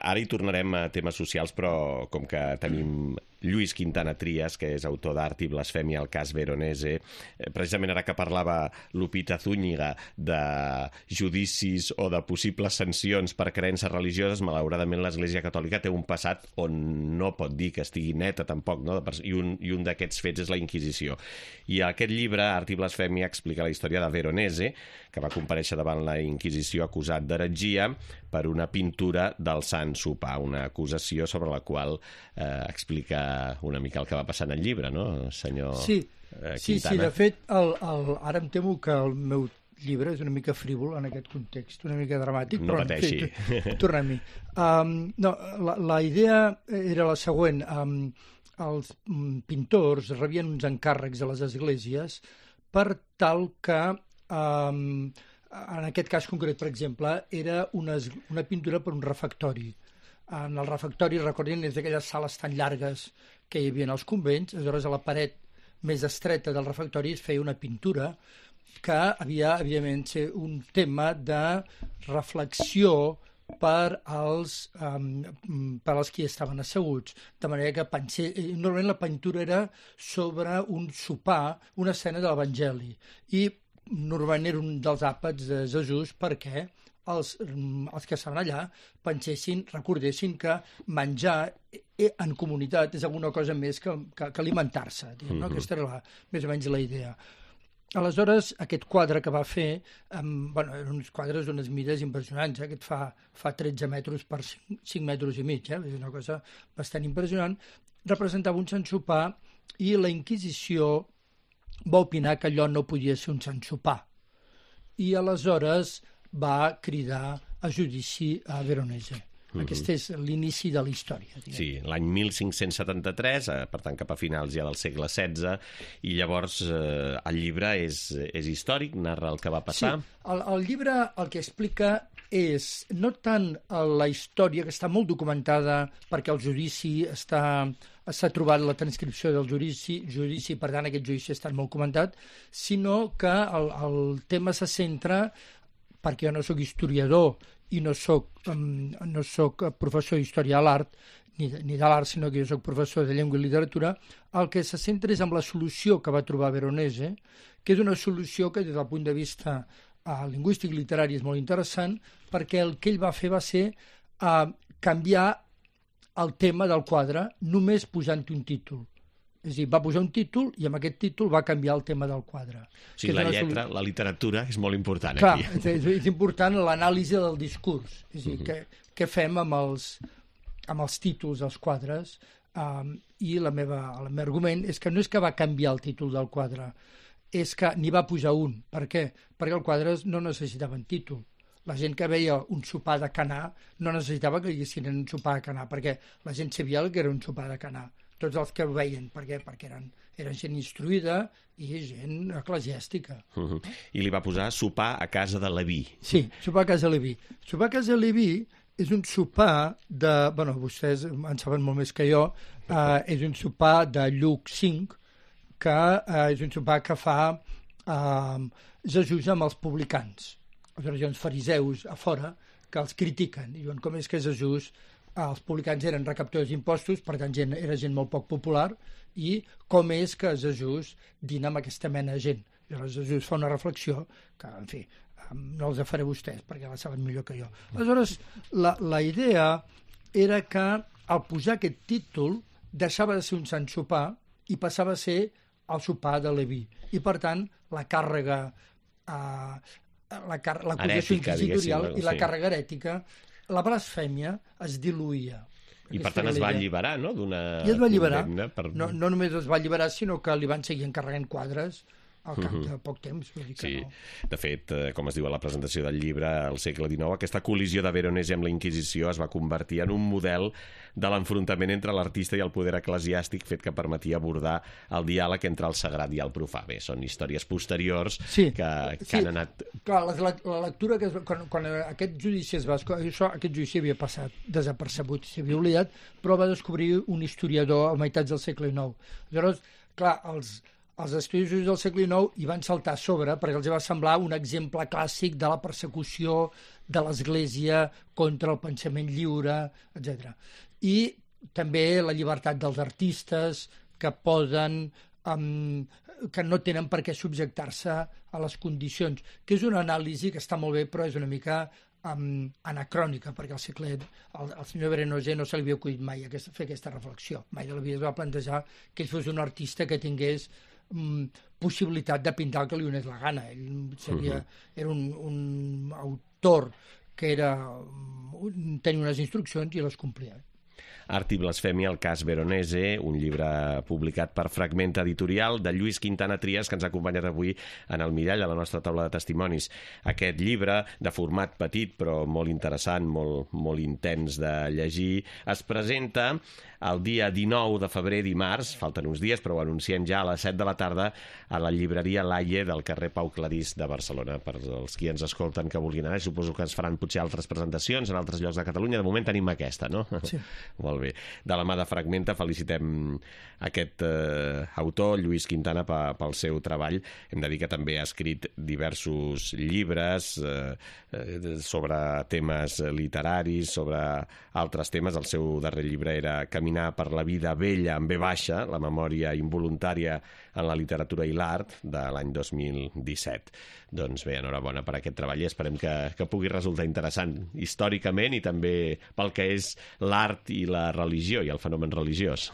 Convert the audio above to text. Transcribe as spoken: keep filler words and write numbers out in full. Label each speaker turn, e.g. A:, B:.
A: ara hi tornarem a temes socials, però com que tenim Lluís Quintana Trias, que és autor d'Art i Blasfèmia, el cas Veronese, precisament ara que parlava Lupita Zúñiga de judicis o de possibles sancions per creences religioses, malauradament l'Església Catòlica té un passat on no pot dir que estigui neta tampoc, no? I un, i un d'aquests fets és la Inquisició. I aquest llibre, Art i Blasfèmia, explica la història de Veronese, que va comparèixer davant la Inquisició acusat d'heretgia per una pintura del Sant Sopar, una acusació sobre la qual eh, explica una mica el que va passar en el llibre, no, senyor
B: sí,
A: eh, Quintana?
B: Sí, sí, de fet, el, el, ara em temo que el meu llibre és una mica frívol en aquest context, una mica dramàtic,
A: no
B: però
A: pateixi.
B: En fi, tornem-hi. Um, no, la, la idea era la següent. Um, els pintors rebien uns encàrrecs a les esglésies per tal que, um, en aquest cas concret, per exemple, era una, una pintura per un refectori. En el refectori, recordin, és d'aquelles sales tan llargues que hi havia als convents, aleshores a la paret més estreta del refectori es feia una pintura que havia, evidentment, ser un tema de reflexió per als, um, per als qui estaven asseguts. De manera que pensé, normalment la pintura era sobre un sopar, una escena de l'Evangeli, i normalment era un dels àpats de Jesús perquè els, els que estaven allà pensessin, recordessin que menjar en comunitat és alguna cosa més que, que, que alimentar-se. No? Mm-hmm. Aquesta era la, més o menys la idea. Aleshores, aquest quadre que va fer, um, bueno, eren uns quadres d'unes mides impressionants, eh? Aquest fa, fa tretze metres per cinc metres i mig, eh? És una cosa bastant impressionant. Representava un Sant Sopar i la Inquisició va opinar que allò no podia ser un Sant Sopar. I aleshores va cridar a judici a Veronese. Mm-hmm. Aquest és l'inici de la història. Diguem.
A: Sí, l'any mil cinc-cents setanta-tres, eh, per tant cap a finals ja del segle setze, i llavors eh, el llibre és, és històric, narra el que va passar.
B: Sí, el, el llibre el que explica és no tant la història, que està molt documentada perquè el judici està... s'ha trobat la transcripció del judici, judici, per tant aquest judici ha estat molt comentat, sinó que el, el tema se centra, perquè jo no sóc historiador i no soc, um, no soc professor d'història de l'art, ni de, ni de l'art, sinó que jo soc professor de llengua i literatura, el que se centra és en la solució que va trobar Veronese, que és una solució que des del punt de vista uh, lingüístic i literari és molt interessant, perquè el que ell va fer va ser uh, canviar el tema del quadre només posant un títol. És a dir, va posar un títol i amb aquest títol va canviar el tema del quadre.
A: O sigui, la lletra,
B: sol...
A: la literatura és molt important.
B: Clar,
A: aquí.
B: És, és important l'anàlisi del discurs. És a dir, uh-huh. què, què fem amb els, amb els títols dels quadres, um, i la meva, el meu argument és que no és que va canviar el títol del quadre, és que n'hi va posar un. Per què? Perquè els quadres no necessitaven títol. La gent que veia un sopar de Canà no necessitava que diguessin un sopar de Canà, perquè la gent sabia que era un sopar de Canà. Tots els que ho veien, per què? Perquè eren, eren gent instruïda i gent eclesiàstica.
A: Uh-huh. I li va posar sopar a casa de Leví.
B: Sí, sopar a casa de Leví. Sopar a casa de Leví és un sopar de... Bueno, vostès en saben molt més que jo. Uh, és un sopar de Lluc cinc, que uh, és un sopar que fa uh, Jesús amb els publicans. Aleshores hi ha uns fariseus a fora que els critiquen i diuen com és que Jesús, els publicans eren recaptadors d'impostos, per tant gent, era gent molt poc popular, i com és que Jesús dina amb aquesta mena de gent. I aleshores Jesús fa una reflexió que, en fi, no els faré vostès perquè la saben millor que jo. Aleshores, la, la idea era que al posar aquest títol deixava de ser un sant sopar i passava a ser el sopar de Leví. I, per tant, la càrrega... Eh, la car l'acusació inquisitorial i la sí. càrrega herètica, la blasfèmia es diluïa.
A: I per tant es va alliberar, no?, d'una
B: I es va alliberar.
A: Per...
B: No, no només es va alliberar, sinó que li van seguir encarregant quadres al cap de poc temps. Vull dir que
A: sí,
B: no.
A: De fet, com es diu a la presentació del llibre, al segle dinou, aquesta col·lisió de Veronese amb la Inquisició es va convertir en un model de l'enfrontament entre l'artista i el poder eclesiàstic, fet que permetia abordar el diàleg entre el sagrat i el profà. Bé, són històries posteriors
B: sí,
A: que, que
B: sí.
A: han anat...
B: Clar, la, la lectura que es, quan, quan aquest judici es va... Això, aquest judici havia passat desapercebut, s'havia oblidat, però va descobrir un historiador a meitats del segle dinou. Llavors, clar, els, els estudiosos del segle dinou hi van saltar a sobre perquè els va semblar un exemple clàssic de la persecució de l'Església contra el pensament lliure, etcètera. I també la llibertat dels artistes que poden... Um, que no tenen per què subjectar-se a les condicions, que és una anàlisi que està molt bé, però és una mica um, anacrònica, perquè al segle el, el senyor Veronese no se li havia acudit mai aquesta, fer aquesta reflexió. Mai de la vida es va plantejar que ell fos un artista que tingués um, possibilitat de pintar el que li donés la gana. Ell seria, era un, un autor que era, um, tenia unes instruccions i les complia.
A: Art i blasfèmia, el cas Veronese, un llibre publicat per Fragment Editorial de Lluís Quintana Trias, que ens ha acompanyat avui en el mirall a la nostra taula de testimonis. Aquest llibre, de format petit però molt interessant, molt, molt intens de llegir, es presenta el dia dinou de febrer, dimarts, falten uns dies, però ho anunciem ja a les set de la tarda, a la llibreria Laie del carrer Pau Clarís de Barcelona. Per als qui ens escolten que vulguin anar, suposo que es faran potser altres presentacions en altres llocs de Catalunya. De moment tenim aquesta, no?
B: Sí.
A: Molt bé. De la mà de Fragmenta felicitem aquest eh, autor, Lluís Quintana, pel seu treball. Hem de dir que també ha escrit diversos llibres eh, sobre temes literaris, sobre altres temes. El seu darrer llibre era Caminar per la vida vella amb ve baixa, la memòria involuntària en la literatura i l'art, de l'any dos mil disset. Doncs bé, enhorabona per aquest treball i esperem que, que pugui resultar interessant històricament i també pel que és l'art i la religió i el fenomen religiós.